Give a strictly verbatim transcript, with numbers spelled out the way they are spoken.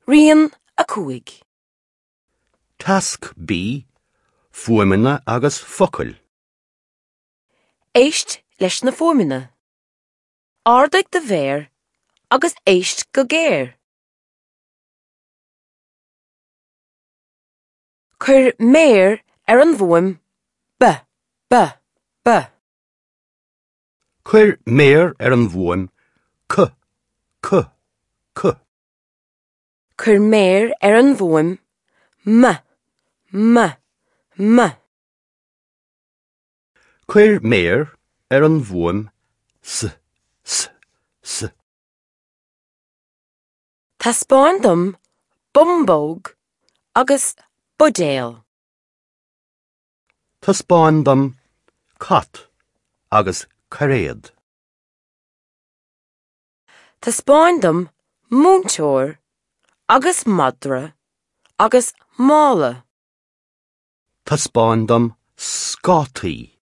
Rian a cúig. Tasc B, Fuaimeanna agus focail. Éist leis na fuaimeanna. Ardaigh do mhéar agus éist go géar. Cuir méar ar an bhfuaim B, B, B. Cuir méar ar an bhfuaim C, C, C. Cuir méar ar an bhfuaim M, M, M. Cuir méar ar an bhfuaim S, S, S. Taispeáin dom bumbóg agus buidéal. Taispeáin dom cat agus cairéad. Taispeáin dom múinteoir agus madra agus mála. Taispeáin dom scátaí.